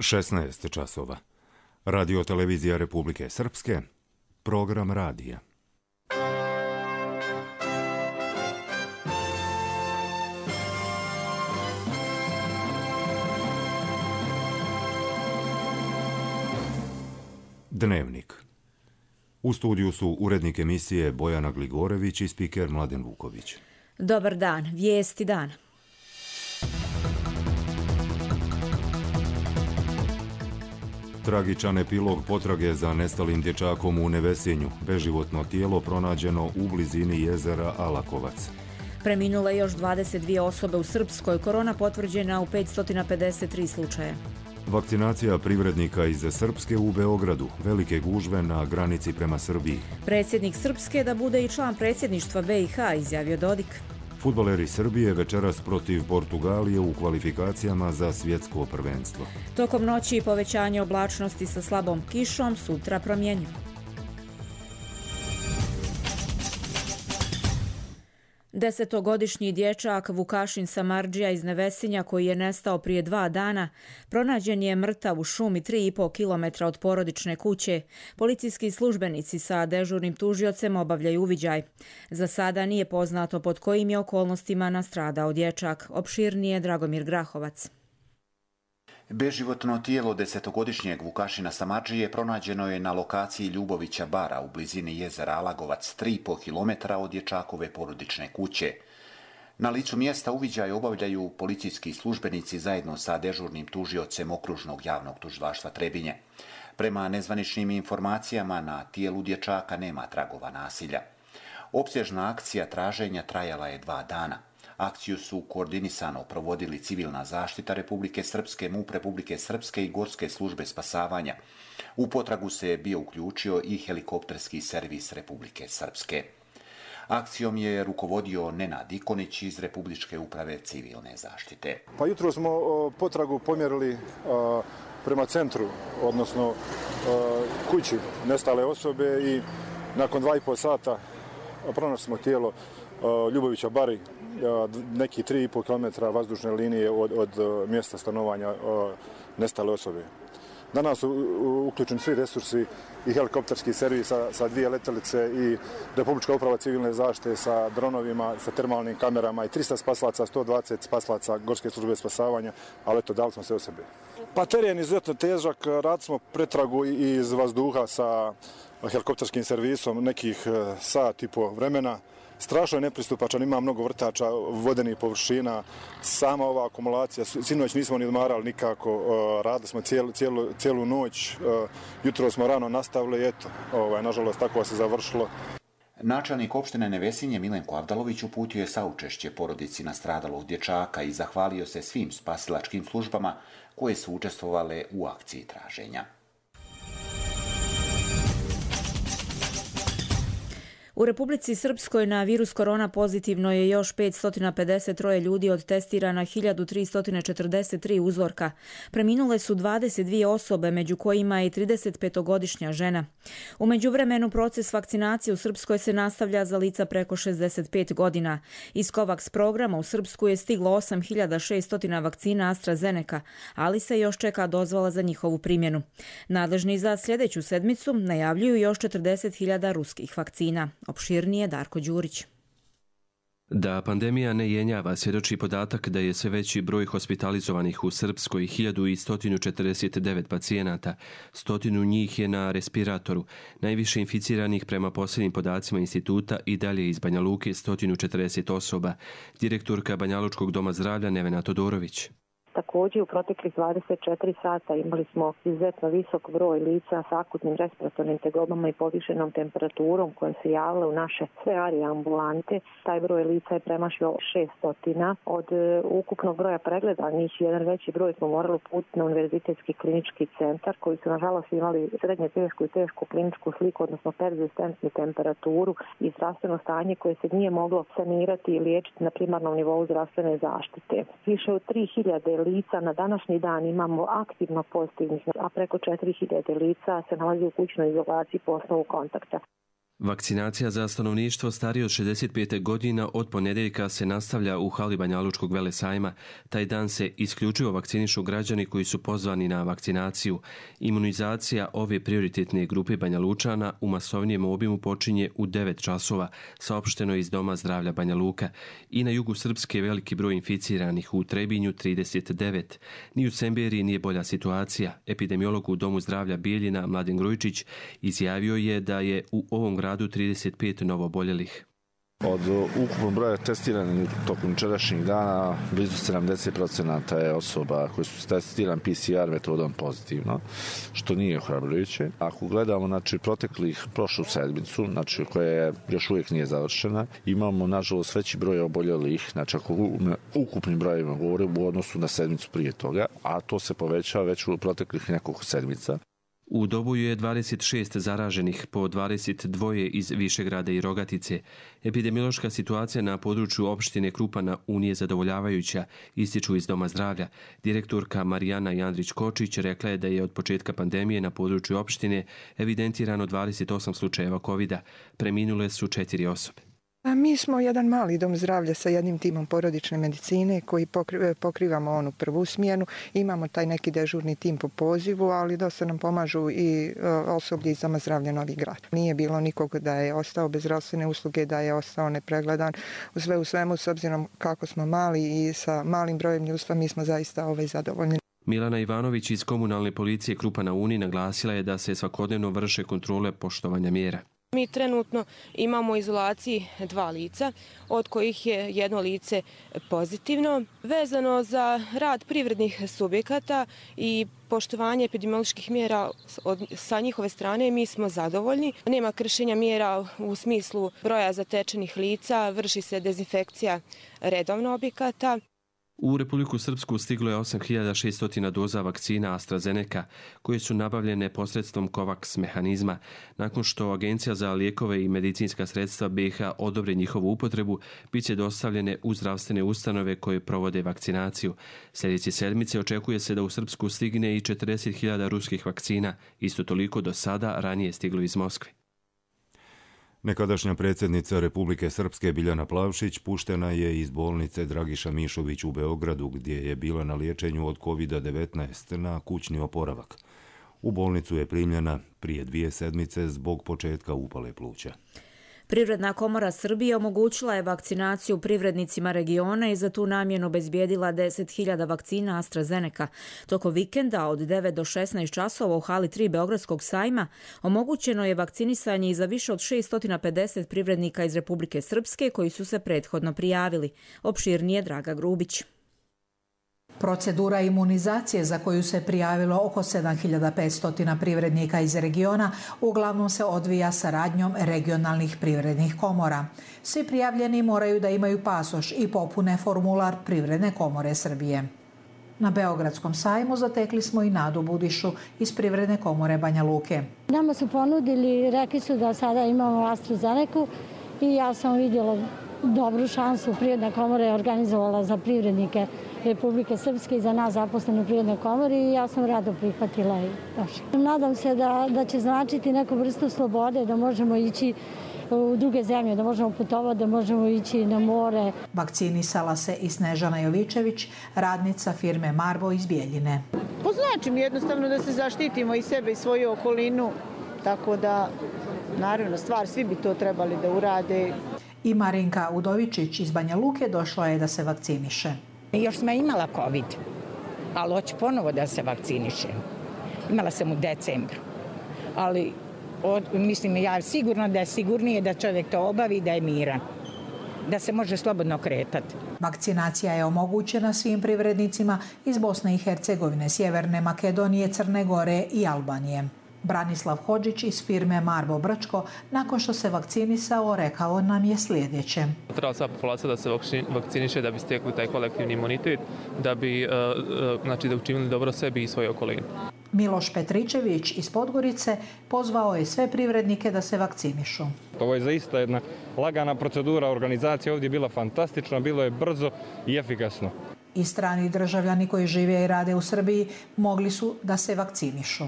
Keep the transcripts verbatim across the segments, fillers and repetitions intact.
šesnaest časova. Radio televizija Republike Srpske, program radija. Dnevnik. U studiju su urednik emisije Bojana Gligorević i spiker Mladen Vuković. Dobar dan, vijesti dana. Tragičan epilog potrage za nestalim dječakom u Nevesinju. Beživotno tijelo pronađeno u blizini jezera Alakovac. Preminule još dvadeset dvije osobe u Srpskoj, korona potvrđena u petsto pedeset tri slučaja. Vakcinacija privrednika iz Srpske u Beogradu. Velike gužve na granici prema Srbiji. Predsjednik Srpske da bude i član predsjedništva B i H, izjavio Dodik. Fudbaleri Srbije večeras protiv Portugalije u kvalifikacijama za svjetsko prvenstvo. Tokom noći povećanje oblačnosti sa slabom kišom, sutra promjenjivo. Desetogodišnji dječak Vukašin Samardžija iz Nevesinja, koji je nestao prije dva dana, pronađen je mrtav u šumi tri i pol kilometra od porodične kuće. Policijski službenici sa dežurnim tužiocem obavljaju uviđaj. Za sada nije poznato pod kojim je okolnostima nastradao dječak. Opširnije Dragomir Grahovac. Beživotno tijelo desetogodišnjeg Vukašina Samardžije pronađeno je na lokaciji Ljubovića bara u blizini jezera Alagovac, tri i pol kilometra od dječakove porodične kuće. Na licu mjesta uviđaj obavljaju policijski službenici zajedno sa dežurnim tužiocem okružnog javnog tužilaštva Trebinje. Prema nezvaničnim informacijama, na tijelu dječaka nema tragova nasilja. Opsežna akcija traženja trajala je dva dana. Akciju su koordinisano provodili Civilna zaštita Republike Srpske, MUP Republike Srpske i Gorske službe spasavanja. U potragu se je bio uključio i helikopterski servis Republike Srpske. Akcijom je rukovodio Nenad Ikonić iz Republičke uprave Civilne zaštite. Pa jutro smo o, potragu pomjerili a, prema centru, odnosno a, kući nestale osobe i nakon dva i pol sata pronašli smo tijelo a, Ljubovića Bari, neki tri i pol kilometra vazdušne linije od, od mjesta stanovanja nestale osobe. Danas su uključeni svi resursi i helikopterski servis sa, sa dvije letjelice i Republička uprava civilne zaštite sa dronovima, sa termalnim kamerama i tristo spasilaca, sto dvadeset spasilaca Gorske službe spasavanja, ali eto, dali smo sve od sebe. Pa teren je izuzetno težak, radili smo pretragu iz vazduha sa helikopterskim servisom nekih sat i po vremena. Strašno je nepristupačan, ima mnogo vrtača, vodenih površina, sama ova akumulacija, sinoć nismo ni odmarali nikako, radili smo cijelu, cijelu, cijelu noć, jutro smo rano nastavili, eto, ovaj, nažalost tako se završilo. Načelnik opštine Nevesinje Milenko Avdalović uputio je saučešće porodici nastradalog dječaka i zahvalio se svim spasilačkim službama koje su učestvovale u akciji traženja. U Republici Srpskoj na virus korona pozitivno je još petsto pedeset tri ljudi od testirana hiljadu tristo četrdeset tri uzorka. Preminule su dvadeset dvije osobe, među kojima je i tridesetpetogodišnja žena. U međuvremenu proces vakcinacije u Srpskoj se nastavlja za lica preko šezdeset pet godina. Iz COVAX programa u Srpsku je stiglo osam hiljada šesto vakcina AstraZeneca, ali se još čeka dozvola za njihovu primjenu. Nadležni za sljedeću sedmicu najavljuju još četrdeset hiljada ruskih vakcina. Opširnije Darko Đurić. Da pandemija ne jenjava svjedoči podatak da je sve veći broj hospitalizovanih u Srpskoj, hiljadu sto četrdeset devet pacijenata, stotinu njih je na respiratoru. Najviše inficiranih prema posljednjim podacima instituta i dalje iz Banja Luke sto četrdeset osoba. Direktorka Banjalučkog doma zdravlja Nevena Todorović. Također u proteklih dvadeset četiri sata imali smo izuzetno visok broj lica sa akutnim respiratornim tegobama i povišenom temperaturom koje se javile u naše sve arije ambulante. Taj broj lica je premašio šesto. Od ukupnog broja pregledanih jedan veći broj smo morali uputiti na Univerzitetski klinički centar koji su nažalost imali srednje tešku i tešku kliničku sliku, odnosno perzistentnu temperaturu i zdravstveno stanje koje se nije moglo sanirati i liječiti na primarnom nivou zdravstvene zaštite. Više od tri hiljade lica na današnji dan imamo aktivno pozitivnih, a preko četiri hiljade lica se nalazi u kućnoj izolaciji po osnovu kontakta. Vakcinacija za stanovništvo starije od šezdeset pet godina od ponedjeljka se nastavlja u hali Banjalučkog velesajma. Taj dan se isključivo vakcinišu građani koji su pozvani na vakcinaciju. Imunizacija ove prioritetne grupe Banjalučana u masovnijem obimu počinje u devet časova, saopšteno iz Doma zdravlja Banja Luka. I na jugu Srpske veliki broj inficiranih, u Trebinju trideset devet. Ni u Semberiji nije bolja situacija. Epidemiolog u Domu zdravlja Bijeljina Mladen Grujičić izjavio je da je u ovom gradu trideset pet novoboljelih. Od ukupnog broja testiranih tokom jučerašnjeg dana blizu sedamdeset procenata je osoba koji su testirani P C R metodom pozitivno, što nije ohrabrujuće. Ako gledamo znači, proteklih prošlu sedmicu, znači, koja još uvijek nije završena, imamo nažalost veći broj oboljelih, znači ako ukupnim brojima govorim u odnosu na sedmicu prije toga, a to se povećava već u proteklih nekoliko sedmica. U Doboju je dvadeset šest zaraženih, po dvadeset dva iz Višegrada i Rogatice. Epidemiološka situacija na području opštine Krupana nije zadovoljavajuća, ističu iz Doma zdravlja. Direktorka Marijana Jandrić-Kočić rekla je da je od početka pandemije na području opštine evidentirano dvadeset osam slučajeva kovida. Preminule su četiri osobe. Mi smo jedan mali dom zdravlja sa jednim timom porodične medicine koji pokrivamo onu prvu smjenu. Imamo taj neki dežurni tim po pozivu, ali dosta nam pomažu i osoblje iz Doma zdravlja Novi Grad. Nije bilo nikog da je ostao bez zdravstvene usluge, da je ostao nepregledan. U sve u svemu, s obzirom kako smo mali i sa malim brojem ljudstva, mi smo zaista ovaj zadovoljni. Milana Ivanović iz komunalne policije Krupa na Uni naglasila je da se svakodnevno vrše kontrole poštovanja mjera. Mi trenutno imamo u izolaciji dva lica, od kojih je jedno lice pozitivno. Vezano za rad privrednih subjekata i poštovanje epidemioloških mjera od, sa njihove strane, mi smo zadovoljni. Nema kršenja mjera u smislu broja zatečenih lica, vrši se dezinfekcija redovno objekata. U Republiku Srpsku stiglo je osam hiljada šessto doza vakcina AstraZeneca, koje su nabavljene posredstvom COVAX mehanizma. Nakon što Agencija za lijekove i medicinska sredstva B i H odobri njihovu upotrebu, bit će dostavljene u zdravstvene ustanove koje provode vakcinaciju. Sljedeće sedmice očekuje se da u Srpsku stigne i četrdeset hiljada ruskih vakcina, isto toliko do sada ranije stiglo iz Moskve. Nekadašnja predsjednica Republike Srpske Biljana Plavšić puštena je iz bolnice Dragiša Mišović u Beogradu, gdje je bila na liječenju od kovid devetnaest na kućni oporavak. U bolnicu je primljena prije dvije sedmice zbog početka upale pluća. Privredna komora Srbije omogućila je vakcinaciju privrednicima regiona i za tu namjenu obezbijedila deset hiljada vakcina AstraZeneca. Toko vikenda od devet do šesnaest časova u hali tri Beogradskog sajma omogućeno je vakcinisanje i za više od šesto pedeset privrednika iz Republike Srpske koji su se prethodno prijavili. Opširnije Draga Grubić. Procedura imunizacije za koju se prijavilo oko sedam hiljada petsto privrednika iz regiona uglavnom se odvija saradnjom regionalnih privrednih komora. Svi prijavljeni moraju da imaju pasoš i popune formular Privredne komore Srbije. Na Beogradskom sajmu zatekli smo i Nadu Budišu iz Privredne komore Banja Luke. Nama su ponudili, rekli su da sada imamo AstraZeneca i ja sam vidjela dobru šansu. Privredna komora je organizovala za privrednike Republike Srpske i za nas zaposlene u Privrednoj komori i ja sam rado prihvatila i došla. Nadam se da, da će značiti neku vrstu slobode, da možemo ići u druge zemlje, da možemo putovati, da možemo ići na more. Vakcinisala se i Snežana Jovičević, radnica firme Marbo iz Bijeljine. Znači mi jednostavno da se zaštitimo i sebe i svoju okolinu, tako da naravno stvar svi bi to trebali da urade. I Marinka Udovičić iz Banja Luke došla je da se vakciniše. Još sam imala COVID, ali hoću ponovo da se vakcinišem. Imala sam u decembru, ali od, mislim ja sigurno da je sigurnije da čovjek to obavi, da je miran, da se može slobodno kretati. Vakcinacija je omogućena svim privrednicima iz Bosne i Hercegovine, Sjeverne Makedonije, Crne Gore i Albanije. Branislav Hodžić iz firme Marbo Brčko, nakon što se vakcinisao, rekao nam je sljedeće. Treba sva populacija da se vakciniše da bi stekli taj kolektivni imunitet, da bi znači, da učinili dobro sebi i svoje okoline. Miloš Petričević iz Podgorice pozvao je sve privrednike da se vakcinišu. Ovo je zaista jedna lagana procedura, organizacija ovdje je bila fantastična, bilo je brzo i efikasno. I strani državljani koji žive i rade u Srbiji mogli su da se vakcinišu.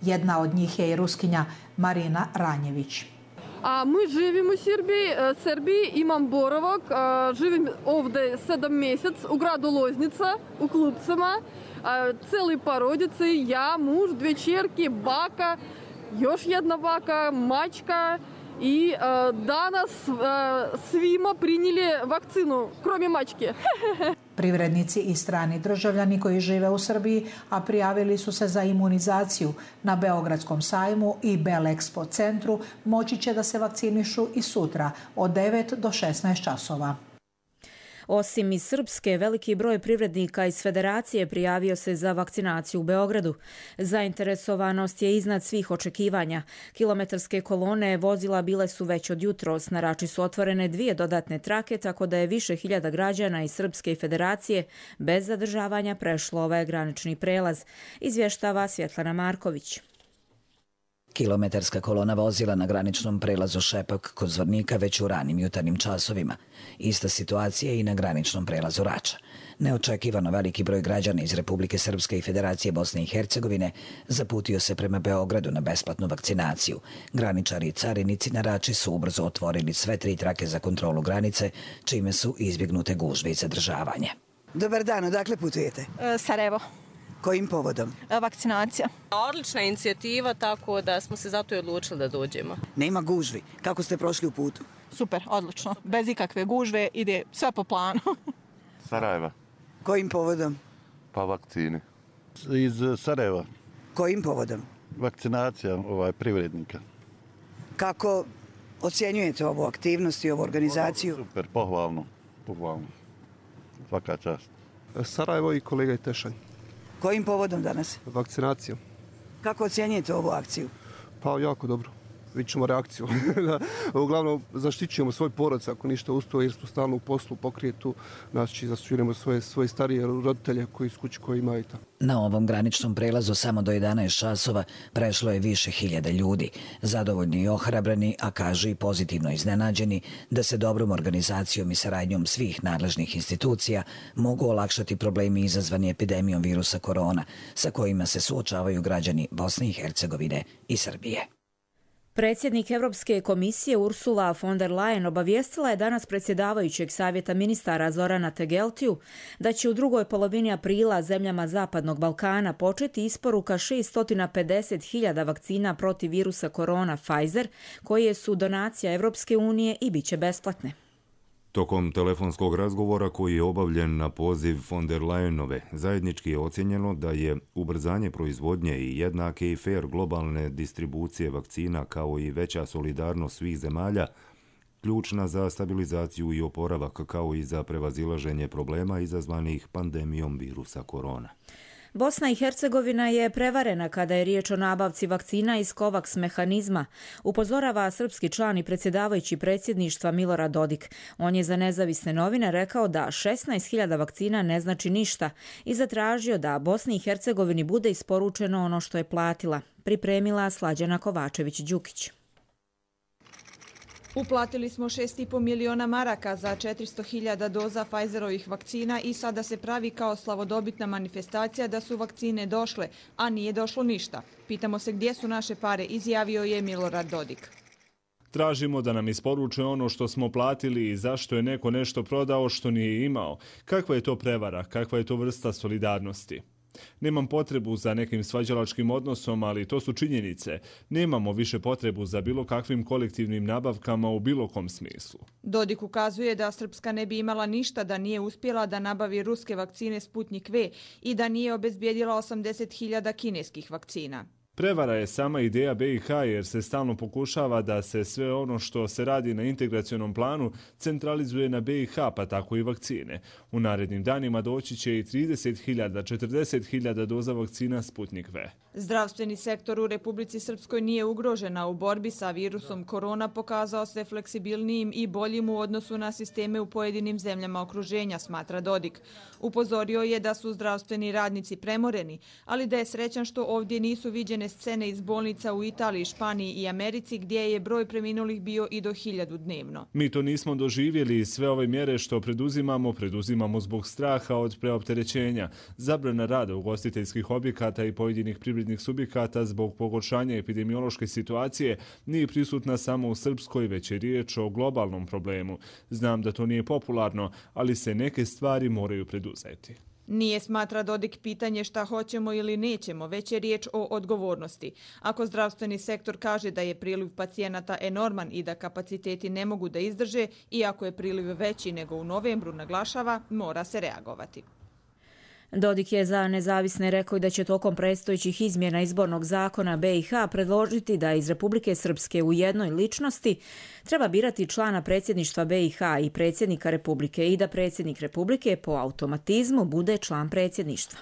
Jedna od njih je i Ruskinja Marina Ranjević. A mi živimo u Srbiji, Srbiji, imam boravak, živim ovdje sedam mjesec u gradu Loznica, u Klupcama, celi porodice, ja, muž, dvije čerke, baka, još jedna baka, mačka i danas svima prinijeli vakcinu, kromje mačke. Privrednici i strani državljani koji žive u Srbiji, a prijavili su se za imunizaciju na Beogradskom sajmu i Belexpo centru, moći će da se vakcinišu i sutra od devet do šesnaest časova. Osim iz Srpske, veliki broj privrednika iz Federacije prijavio se za vakcinaciju u Beogradu. Zainteresovanost je iznad svih očekivanja. Kilometarske kolone vozila bile su već od jutros. Na Rači su otvorene dvije dodatne trake, tako da je više hiljada građana iz Srpske i Federacije bez zadržavanja prešlo ovaj granični prelaz, izvještava Svjetlana Marković. Kilometarska kolona vozila na graničnom prelazu Šepak kod Zvornika već u ranim jutarnjim časovima. Ista situacija i na graničnom prelazu Rača. Neočekivano veliki broj građana iz Republike Srpske i Federacije Bosne i Hercegovine zaputio se prema Beogradu na besplatnu vakcinaciju. Graničari i carinici na Rači su ubrzo otvorili sve tri trake za kontrolu granice, čime su izbjegnute gužve i zadržavanje. Dobar dan, odakle putujete? E, Sarajevo. Kojim povodom? Vakcinacija. Odlična inicijativa, tako da smo se zato i odlučili da dođemo. Nema gužvi. Kako ste prošli u putu? Super, odlično. Bez ikakve gužve, ide sve po planu. Sarajeva. Kojim povodom? Pa vakcini. Iz Sarajeva. Kojim povodom? Vakcinacija ovaj, privrednika. Kako ocjenjujete ovu aktivnost i ovu organizaciju? Super, pohvalno. Pohvalno. Svaka čast. Sarajevo i kolega Tešanj. Kojim povodom danas? Vakcinacijom. Kako ocjenjujete ovu akciju? Pa jako dobro. Vidjet ćemo reakciju. Uglavnom zaštićujemo svoj porodic ako ništa usto jer smo stalno u poslu pokrijetu. Znači zaštićujemo svoje, svoje starije roditelje koji su kući koji imaju tamo. Na ovom graničnom prelazu samo do jedanaest časova prešlo je više hiljada ljudi. Zadovoljni i ohrabrani, a kažu i pozitivno iznenađeni da se dobrom organizacijom i saradnjom svih nadležnih institucija mogu olakšati problemi izazvani epidemijom virusa korona sa kojima se suočavaju građani Bosne i Hercegovine i Srbije. Predsjednik Europske komisije Ursula von der Leyen obavijestila je danas predsjedavajućeg savjeta ministara Zorana Tegeltiju da će u drugoj polovini aprila zemljama Zapadnog Balkana početi isporuka šesto pedeset hiljada vakcina protiv virusa korona Pfizer, koje su donacija Europske unije i bit će besplatne. Tokom telefonskog razgovora koji je obavljen na poziv von der Leyenove, zajednički je ocjenjeno da je ubrzanje proizvodnje i jednake i fair globalne distribucije vakcina kao i veća solidarnost svih zemalja ključna za stabilizaciju i oporavak kao i za prevazilaženje problema izazvanih pandemijom virusa korona. Bosna i Hercegovina je prevarena kada je riječ o nabavci vakcina iz COVAX mehanizma, upozorava srpski član i predsjedavajući predsjedništva Milorad Dodik. On je za nezavisne novine rekao da šesnaest hiljada vakcina ne znači ništa i zatražio da Bosni i Hercegovini bude isporučeno ono što je platila, pripremila Slađana Kovačević-Đukić. Uplatili smo šest i po miliona maraka za četiristo hiljada doza Pfizerovih vakcina i sada se pravi kao slavodobitna manifestacija da su vakcine došle, a nije došlo ništa. Pitamo se gdje su naše pare, izjavio je Milorad Dodik. Tražimo da nam isporuče ono što smo platili i zašto je neko nešto prodao što nije imao. Kakva je to prevara, kakva je to vrsta solidarnosti? Nemam potrebu za nekim svađalačkim odnosom, ali to su činjenice. Nemamo više potrebu za bilo kakvim kolektivnim nabavkama u bilo kom smislu. Dodik ukazuje da Srpska ne bi imala ništa da nije uspjela da nabavi ruske vakcine Sputnik V i da nije obezbijedila osamdeset hiljada kineskih vakcina. Prevara je sama ideja B i H jer se stalno pokušava da se sve ono što se radi na integracionom planu centralizuje na B i H, pa tako i vakcine. U narednim danima doći će i trideset hiljada, četrdeset hiljada doza vakcina Sputnik V. Zdravstveni sektor u Republici Srpskoj nije ugrožena u borbi sa virusom korona, pokazao se fleksibilnijim i boljim u odnosu na sisteme u pojedinim zemljama okruženja, smatra Dodik. Upozorio je da su zdravstveni radnici premoreni, ali da je srećan što ovdje nisu viđene scene iz bolnica u Italiji, Španiji i Americi gdje je broj preminulih bio i do hiljadu dnevno. Mi to nismo doživjeli i sve ove mjere što preduzimamo, preduzimamo zbog straha od preopterećenja. Zabrana rada ugostiteljskih objekata i pojedinih privrednih subjekata zbog pogoršanja epidemiološke situacije nije prisutna samo u Srpskoj, već je riječ o globalnom problemu. Znam da to nije popularno, ali se neke stvari moraju preduzeti. Nije, smatra Dodik, pitanje šta hoćemo ili nećemo, već je riječ o odgovornosti. Ako zdravstveni sektor kaže da je priliv pacijenata enorman i da kapaciteti ne mogu da izdrže, i ako je priliv veći nego u novembru, naglašava, mora se reagovati. Dodik je za nezavisne rekao da će tokom predstojećih izmjena izbornog zakona B i H predložiti da iz Republike Srpske u jednoj ličnosti treba birati člana predsjedništva B i H i predsjednika Republike i da predsjednik Republike po automatizmu bude član predsjedništva.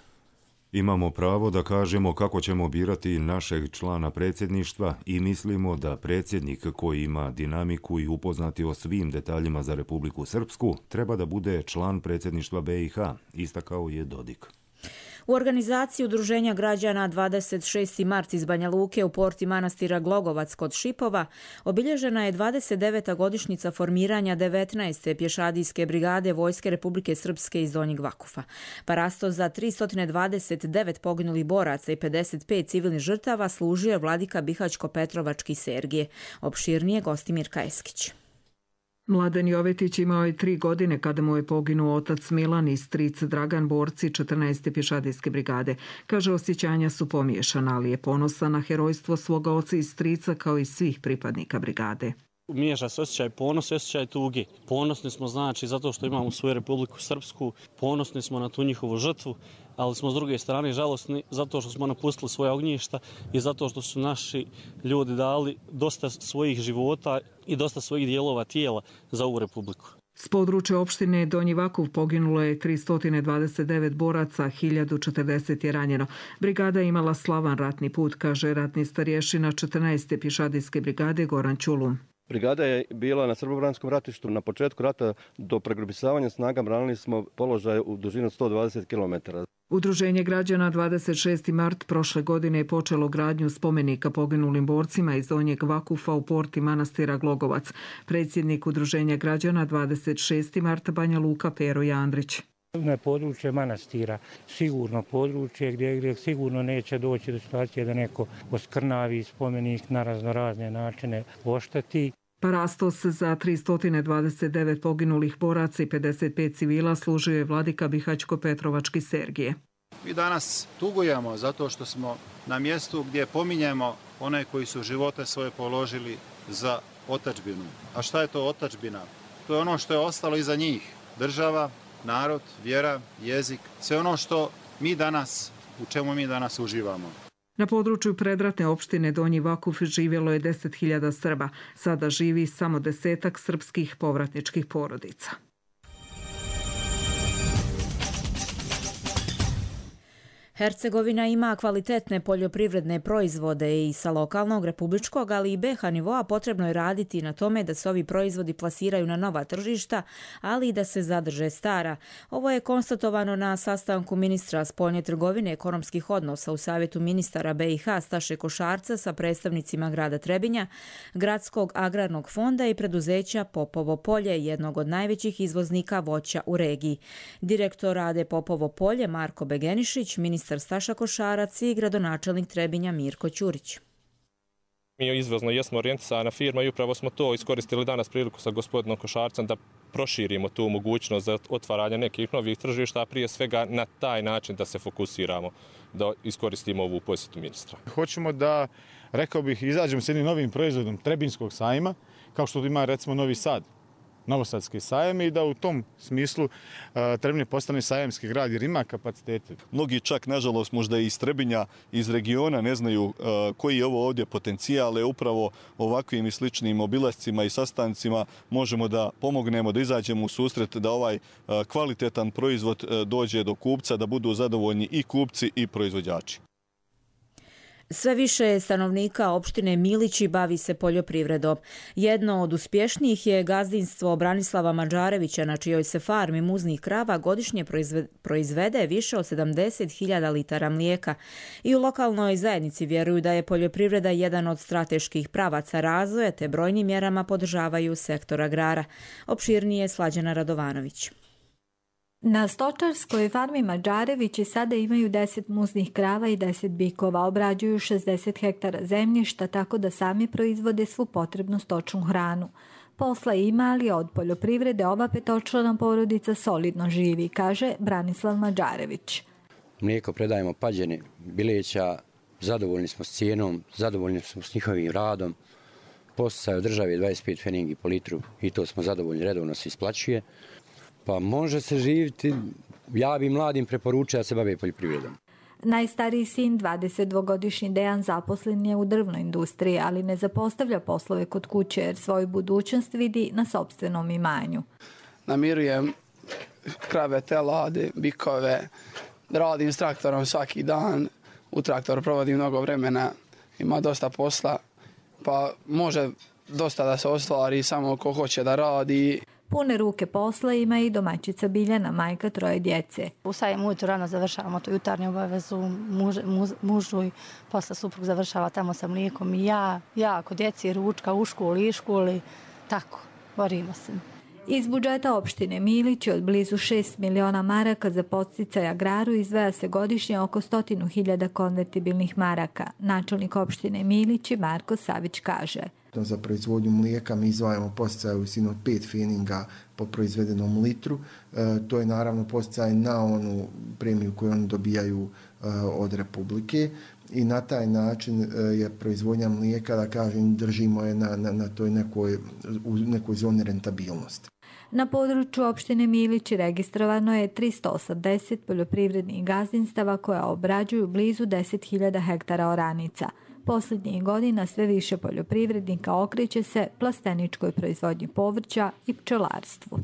Imamo pravo da kažemo kako ćemo birati našeg člana predsjedništva i mislimo da predsjednik koji ima dinamiku i upoznati o svim detaljima za Republiku Srpsku treba da bude član predsjedništva B i H, istakao je Dodik. U organizaciji Udruženja građana dvadeset šesti mart iz Banja Luke u porti manastira Glogovac kod Šipova obilježena je dvadeset deveta godišnjica formiranja devetnaeste pješadijske brigade Vojske Republike Srpske iz Donjeg Vakufa. Parasto za tristo dvadeset devet poginulih boraca i pedeset pet civilnih žrtava služio je vladika Bihaćko-Petrovački Sergije. Opširnije Gostimir Kajeskić. Mladen Jovetić imao je tri godine kada mu je poginuo otac Milan i stric Dragan, borci četrnaeste pješadijske brigade. Kaže, osjećanja su pomiješana, ali je ponosan na herojstvo svoga oca i strica kao i svih pripadnika brigade. Miješa se osjećaj ponos i osjećaj tuge. Ponosni smo znači zato što imamo svoju Republiku Srpsku, ponosni smo na tu njihovu žrtvu, ali smo s druge strane žalosni zato što smo napustili svoje ognjišta i zato što su naši ljudi dali dosta svojih života i dosta svojih dijelova tijela za ovu Republiku. S područja opštine Donji Vakuf poginulo je tristo dvadeset devet boraca, hiljadu četrdeset je ranjeno. Brigada je imala slavan ratni put, kaže ratni starješina četrnaeste pješadijske brigade Goran Čulum. Brigada je bila na srbobranskom ratištu. Na početku rata do pregrupisavanja snaga branili smo položaj u dužinu sto dvadeset kilometara. Udruženje građana dvadeset šesti mart prošle godine je počelo gradnju spomenika poginulim borcima iz Donjeg Vakufa u porti manastira Glogovac. Predsjednik Udruženja građana dvadeset šesti mart Banja Luka Pero Jandrić. Na područje manastira, sigurno područje gdje, gdje sigurno neće doći do situacije da neko oskrnavi spomenik na raznorazne načine ošteti. Parastos za tristo dvadeset devet poginulih boraca i pedeset pet civila služio je vladika Bihaćko-Petrovački Sergije. Mi danas tugujemo zato što smo na mjestu gdje pominjemo one koji su živote svoje položili za otadžbinu. A šta je to otadžbina? To je ono što je ostalo iza njih. Država, narod, vjera, jezik, sve ono što mi danas, u čemu mi danas uživamo. Na području predratne opštine Donji Vakuf živjelo je deset hiljada Srba. Sada živi samo desetak srpskih povratničkih porodica. Hercegovina ima kvalitetne poljoprivredne proizvode i sa lokalnog, republičkog, ali i B i H nivoa potrebno je raditi na tome da se ovi proizvodi plasiraju na nova tržišta, ali i da se zadrže stara. Ovo je konstatovano na sastanku ministra spoljne trgovine i ekonomskih odnosa u Savjetu ministara B i H Staše Košarca sa predstavnicima grada Trebinja, Gradskog agrarnog fonda i preduzeća Popovo polje, jednog od najvećih izvoznika voća u regiji. Direktor rade Popovo polje Marko Begenišić, ministar Staša Košarac i gradonačelnik Trebinja Mirko Ćurić. Mi izvozno jesmo orijentisana firma i upravo smo to iskoristili danas priliku sa gospodinom Košarcem da proširimo tu mogućnost za otvaranje nekih novih tržišta, a prije svega na taj način da se fokusiramo, da iskoristimo ovu posjetu ministra. Hoćemo da, rekao bih, izađemo s jednim novim proizvodom Trebinskog sajma, kao što ima recimo Novi Sad, Novosadski sajam, i da u tom smislu uh, Trebinje postane sajamski grad jer ima kapacitete. Mnogi čak, nažalost, možda i iz Trebinja, iz regiona ne znaju uh, koji je ovo ovdje potencijal, ali upravo ovakvim i sličnim obilascima i sastancima možemo da pomognemo, da izađemo u susret, da ovaj uh, kvalitetan proizvod uh, dođe do kupca, da budu zadovoljni i kupci i proizvođači. Sve više stanovnika opštine Milići bavi se poljoprivredom. Jedno od uspješnijih je gazdinstvo Branislava Mađarevića, na čijoj se farmi muznih krava godišnje proizvede više od sedamdeset hiljada litara mlijeka. I u lokalnoj zajednici vjeruju da je poljoprivreda jedan od strateških pravaca razvoja, te brojnim mjerama podržavaju sektor agrara. Opširnije Slađana Radovanović. Na stočarskoj farmi Mađarevići sada imaju deset muznih krava i deset bikova, obrađuju šezdeset hektara zemljišta tako da sami proizvode svu potrebnu stočnu hranu. Posla ima, ali od poljoprivrede ova petočlana porodica solidno živi, kaže Branislav Mađarević. Mlijeko predajemo Pađeni, Bileća, zadovoljni smo s cijenom, zadovoljni smo s njihovim radom. Posticaj od države dvadeset pet pfenigi po litru i to smo zadovoljni, redovno se isplaćuje. Pa može se živjeti, ja bi mladim preporučio da se bave poljoprivredom. Najstariji sin, dvadesetdvogodišnji Dejan, zaposlen je u drvnoj industriji, ali ne zapostavlja poslove kod kuće jer svoju budućnost vidi na sopstvenom imanju. Namirujem krave, telade, bikove, radim s traktorom svaki dan, u traktoru provodim mnogo vremena, ima dosta posla, pa može dosta da se ostvari samo ko hoće da radi. Pune ruke posla ima i domaćica Biljana, majka troje djece. Ustajem ujutro rano, završavamo tu jutarnju obavezu muž, muž, mužu i posle suprug završava tamo sa mlijekom i ja, ja kod djeci, ručka u školi i školi, tako, borimo se. Iz budžeta opštine Milići od blizu šest miliona maraka za podsticaj agraru izdvaja se godišnje oko stotinu hiljada konvertibilnih maraka. Načelnik opštine Milići Marko Savić kaže. Za proizvodnju mlijeka mi izdvajamo podsticaj u visini od pet pfeninga po proizvedenom litru. E, to je naravno podsticaj na onu premiju koju oni dobijaju e, od Republike i na taj način e, je proizvodnja mlijeka, da kažem, držimo je na, na, na toj nekoj, u nekoj zoni rentabilnosti. Na području opštine Milići registrovano je tristo osamdeset poljoprivrednih gazdinstava koja obrađuju blizu deset hiljada hektara oranica. Posljednjih godina sve više poljoprivrednika okreće se plasteničkoj proizvodnji povrća i pčelarstvu.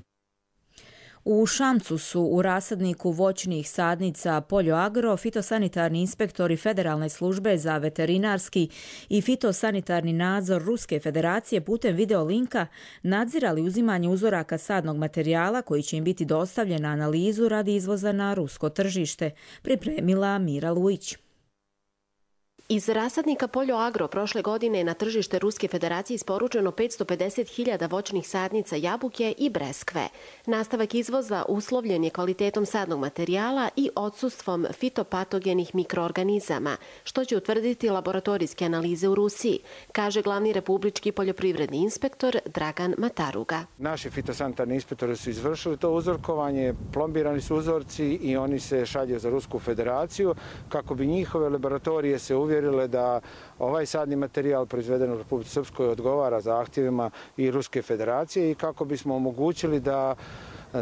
U Šamcu su u rasadniku voćnih sadnica Poljoagro fitosanitarni inspektori Federalne službe za veterinarski i fitosanitarni nadzor Ruske federacije putem videolinka nadzirali uzimanje uzoraka sadnog materijala koji će im biti dostavljen na analizu radi izvoza na rusko tržište, pripremila Mira Lujić. Iz rasadnika Poljoagro prošle godine je na tržište Ruske federacije isporučeno petsto pedeset hiljada voćnih sadnica jabuke i breskve. Nastavak izvoza uslovljen je kvalitetom sadnog materijala i odsustvom fitopatogenih mikroorganizama, što će utvrditi laboratorijske analize u Rusiji, kaže glavni republički poljoprivredni inspektor Dragan Mataruga. Naši fitosanitarni inspektori su izvršili to uzorkovanje, plombirani su uzorci i oni se šalju za Rusku federaciju kako bi njihove laboratorije se uvjerile da ovaj sadni materijal proizveden u Republici Srpskoj odgovara zahtjevima i Ruske federacije i kako bismo omogućili da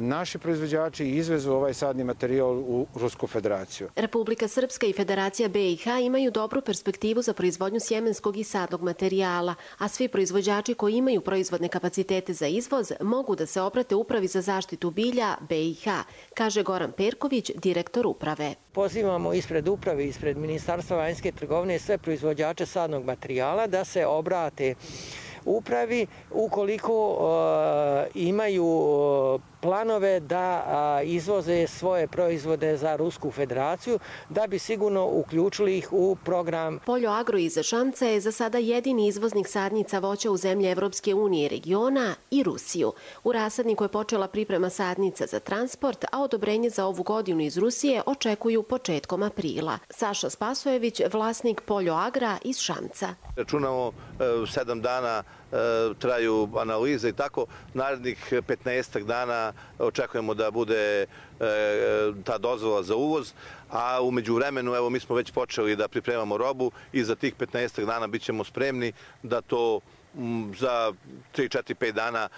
naši proizvođači izvezu ovaj sadni materijal u Rusku federaciju. Republika Srpska i Federacija B i H imaju dobru perspektivu za proizvodnju sjemenskog i sadnog materijala, a svi proizvođači koji imaju proizvodne kapacitete za izvoz mogu da se obrate Upravi za zaštitu bilja B i H, kaže Goran Perković, direktor uprave. Pozivamo ispred uprave, ispred Ministarstva vanjske trgovine sve proizvođače sadnog materijala da se obrate upravi ukoliko uh, imaju planove da uh, izvoze svoje proizvode za Rusku federaciju, da bi sigurno uključili ih u program. Poljoagro iz Šamca je za sada jedini izvoznik sadnica voća u zemlje Evropske unije, regiona i Rusiju. U rasadniku je počela priprema sadnica za transport, a odobrenje za ovu godinu iz Rusije očekuju početkom aprila. Saša Spasojević, vlasnik Poljoagra iz Šamca. Računamo sedam dana traju analize i tako. Narednih petnaestak dana očekujemo da bude ta dozvola za uvoz, a u međuvremenu evo mi smo već počeli da pripremamo robu i za tih petnaestak dana bit ćemo spremni da to za tri, četiri, pet dana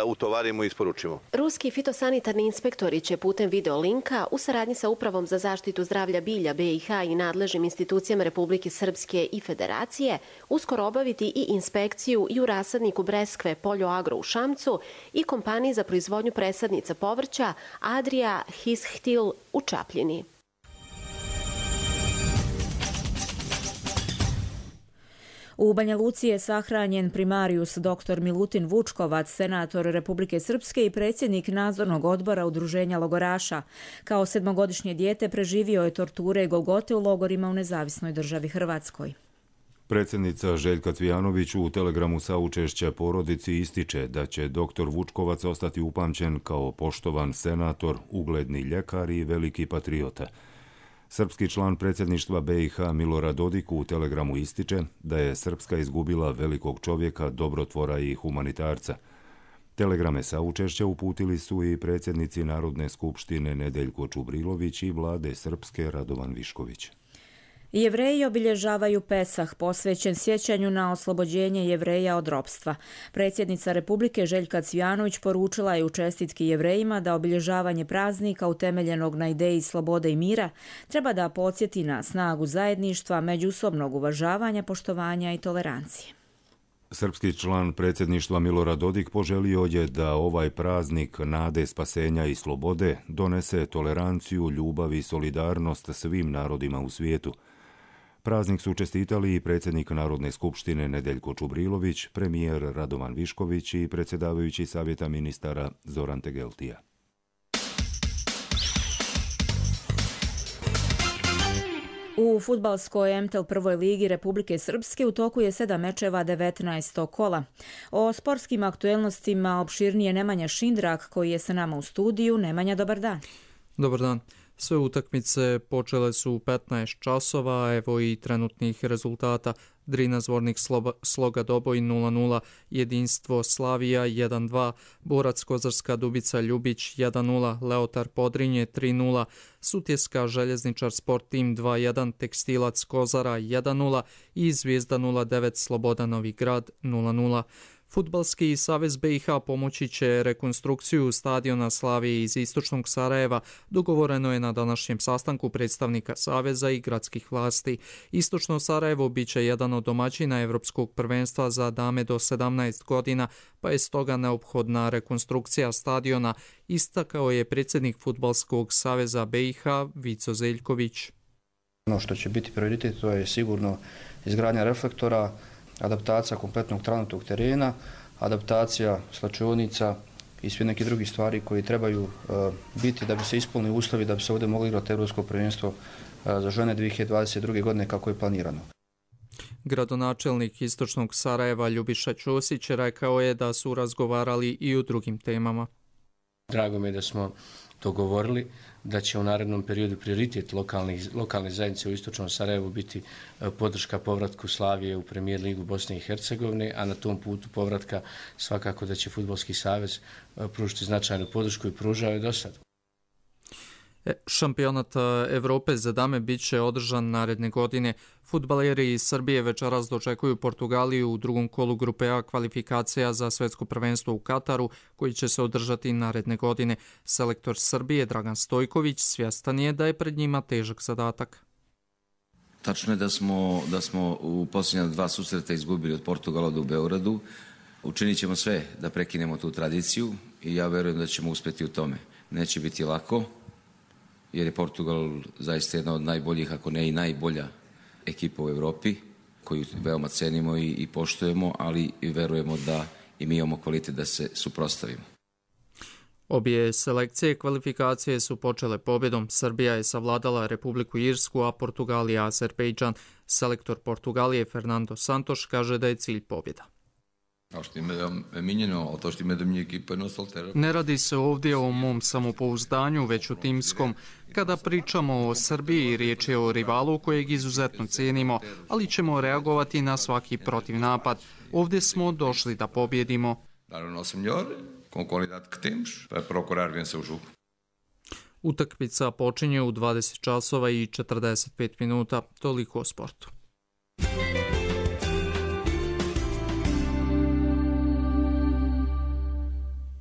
utovarimo i isporučimo. Ruski fitosanitarni inspektori će putem videolinka u saradnji sa Upravom za zaštitu zdravlja bilja B i H i nadležnim institucijama Republike Srpske i Federacije uskoro obaviti i inspekciju i u rasadniku breskve Poljoagro u Šamcu i kompaniji za proizvodnju presadnica povrća Adria Hishtil u Čapljini. U Banja Luci je sahranjen primarius dr Milutin Vučkovac, senator Republike Srpske i predsjednik nadzornog odbora Udruženja logoraša. Kao sedmogodišnje dijete preživio je torture i golgote u logorima u nezavisnoj državi Hrvatskoj. Predsjednica Željka Cvijanović u telegramu saučešća porodici ističe da će dr Vučkovac ostati upamćen kao poštovan senator, ugledni ljekar i veliki patriota. Srpski član predsjedništva B i H Milorad Dodik u telegramu ističe da je Srpska izgubila velikog čovjeka, dobrotvora i humanitarca. Telegrame saučešća uputili su i predsjednici Narodne skupštine Nedeljko Čubrilović i vlade Srpske Radovan Višković. Jevreji obilježavaju Pesah, posvećen sjećanju na oslobođenje Jevreja od ropstva. Predsjednica Republike Željka Cvijanović poručila je u čestitki Jevrejima da obilježavanje praznika utemeljenog na ideji slobode i mira treba da podsjeti na snagu zajedništva, međusobnog uvažavanja, poštovanja i tolerancije. Srpski član predsjedništva Milorad Dodik poželio je da ovaj praznik nade, spasenja i slobode donese toleranciju, ljubav i solidarnost svim narodima u svijetu. Praznik su čestitali i predsjednik Narodne skupštine Nedeljko Čubrilović, premijer Radovan Višković i predsjedavajući savjeta ministara Zoran Tegeltija. U fudbalskoj M T L prvoj ligi Republike Srpske u toku je sedam mečeva devetnaestog kola. O sportskim aktuelnostima opširnije Nemanja Šindrak koji je sa nama u studiju. Nemanja, dobar dan. Dobar dan. Sve utakmice počele su u petnaest časova, evo i trenutnih rezultata. Drina Zvornik Sloga Doboj nula nula, Jedinstvo Slavija jedan dva, Borac Kozarska Dubica Ljubić jedan nula, Leotar Podrinje tri nula, Sutjeska Željezničar Sport Tim dva jedan, Tekstilac Kozara jedan nula i Zvijezda nula devet Sloboda Novi Grad nula nula. Fudbalski savez B i H pomoći će rekonstrukciju stadiona Slavije iz istočnog Sarajeva, dogovoreno je na današnjem sastanku predstavnika saveza i gradskih vlasti. Istočno Sarajevo bit će jedan od domaćina Evropskog prvenstva za dame do sedamnaest godina, pa je stoga neophodna rekonstrukcija stadiona, istakao je predsjednik Fudbalskog saveza B i H Vico Zeljković. Ono što će biti prioritet to je sigurno izgradnja reflektora, adaptacija kompletnog tranutog terena, adaptacija slačionica i sve neke drugi stvari koji trebaju uh, biti da bi se ispunili uslovi da bi se ovdje mogli igrati Evropsko prvenstvo uh, za žene dvije hiljade dvadeset druge. godine kako je planirano. Gradonačelnik istočnog Sarajeva Ljubiša Ćosić rekao je da su razgovarali i o drugim temama. Drago mi je da smo dogovorili da će u narednom periodu prioritet lokalne zajednice u istočnom Sarajevu biti podrška povratku Slavije u premijer ligu Bosne i Hercegovine, a na tom putu povratka svakako da će Fudbalski savez pružiti značajnu podršku i pružao je do sad. Šampionat Evrope za dame bit će održan naredne godine. Fudbaleri iz Srbije večeras dočekuju Portugaliju u drugom kolu grupe A kvalifikacija za svjetsko prvenstvo u Kataru, koji će se održati naredne godine. Selektor Srbije Dragan Stojković svjestan je da je pred njima težak zadatak. Tačno je da smo, da smo u posljednja dva susreta izgubili od Portugala do u Beogradu. Učinit ćemo sve da prekinemo tu tradiciju i ja verujem da ćemo uspjeti u tome. Neće biti lako, jer je Portugal zaista jedna od najboljih, ako ne i najbolja ekipa u Evropi, koju veoma cenimo i, i poštujemo, ali i verujemo da i mi imamo kvalitet da se suprotstavimo. Obje selekcije kvalifikacije su počele pobjedom. Srbija je savladala Republiku Irsku, a Portugalija Azerbejdžan. Selektor Portugalije Fernando Santos kaže da je cilj pobjeda. Ne radi se ovdje o mom samopouzdanju, već o timskom. Kada pričamo o Srbiji, riječ je o rivalu kojeg izuzetno cijenimo, ali ćemo reagovati na svaki protivnapad. Ovdje smo došli da pobjedimo. Utakmica počinje u dvadeset časova i četrdeset pet minuta. Toliko o sportu.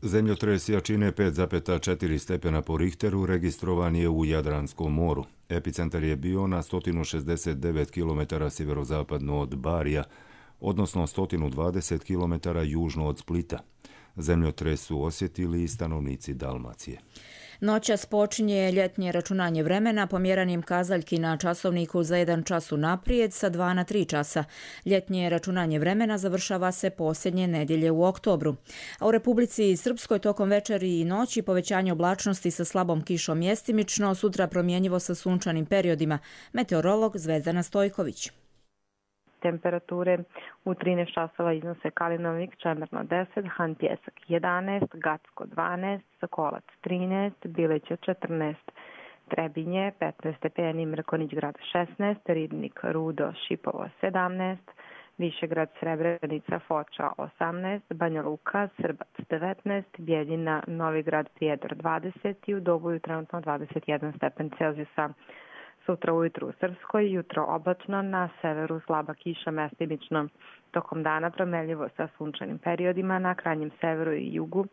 Zemljotres jačine pet zarez četiri stepena po Richteru registrovan je u Jadranskom moru. Epicentar je bio na sto šezdeset devet kilometara sjeverozapadno od Barija, odnosno sto dvadeset kilometara južno od Splita. Zemljotres su osjetili i stanovnici Dalmacije. Noćas počinje ljetnje računanje vremena pomjeranjem kazaljki na časovniku za jedan čas unaprijed sa dva na tri časa. Ljetnje računanje vremena završava se posljednje nedjelje u oktobru. A u Republici Srpskoj tokom večeri i noći povećanje oblačnosti sa slabom kišom mjestimično, sutra promjenjivo sa sunčanim periodima. Meteorolog Zvezdana Stojković. Temperature u trinaest časova iznose Kalinovik, Čemerno deset, Han Pjesak jedanaest, Gacko dvanaest, Sokolac trinaest, Bileća četrnaest, Trebinje petnaest stepeni, Mrkonić grad šesnaest, Ribnik, Rudo, Šipovo sedamnaest, Višegrad, Srebrenica, Foča osamnaest, Banja Luka, Srbac devetnaest, Bijeljina, Novi Grad, Prijedor dvadeset i u Doboju trenutno dvadeset jedan stepen Celzijusa. Sutra ujutru u Srpskoj, jutro oblačno, na severu slaba kiša mestimično. Tokom dana promenljivo sa sunčanim periodima na krajnjem severu i jugu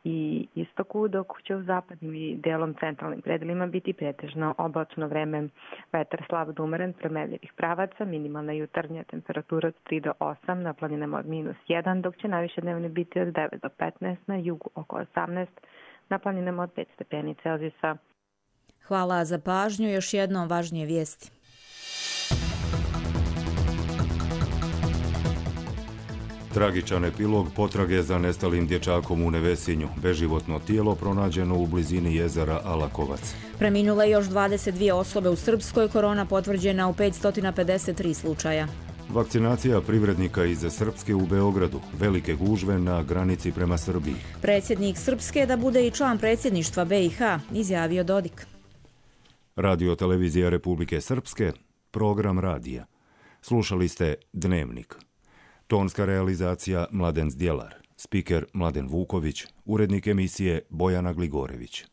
i istoku, dok će u zapadnim i delom centralnim predelima biti pretežno oblačno vreme. Vetar slab do umeren promenljivih pravaca, minimalna jutarnja temperatura od tri do osam, na planinama od minus jedan, dok će najviše dnevne biti od devet do petnaest, na jugu oko osamnaest, na planinama od pet stepeni Celzijusa. Hvala za pažnju. Još jednom važnije vijesti. Tragičan epilog potrage za nestalim dječakom u Nevesinju. Beživotno tijelo pronađeno u blizini jezera Alakovac. Preminule još dvadeset dvije osobe u Srpskoj, korona potvrđena u petsto pedeset tri slučaja. Vakcinacija privrednika iz Srpske u Beogradu. Velike gužve na granici prema Srbiji. Predsjednik Srpske da bude i član predsjedništva B i H, izjavio Dodik. Radio televizija Republike Srpske, program radija. Slušali ste Dnevnik. Tonska realizacija Mladen Zdjelar, spiker Mladen Vuković, urednik emisije Bojana Gligorević.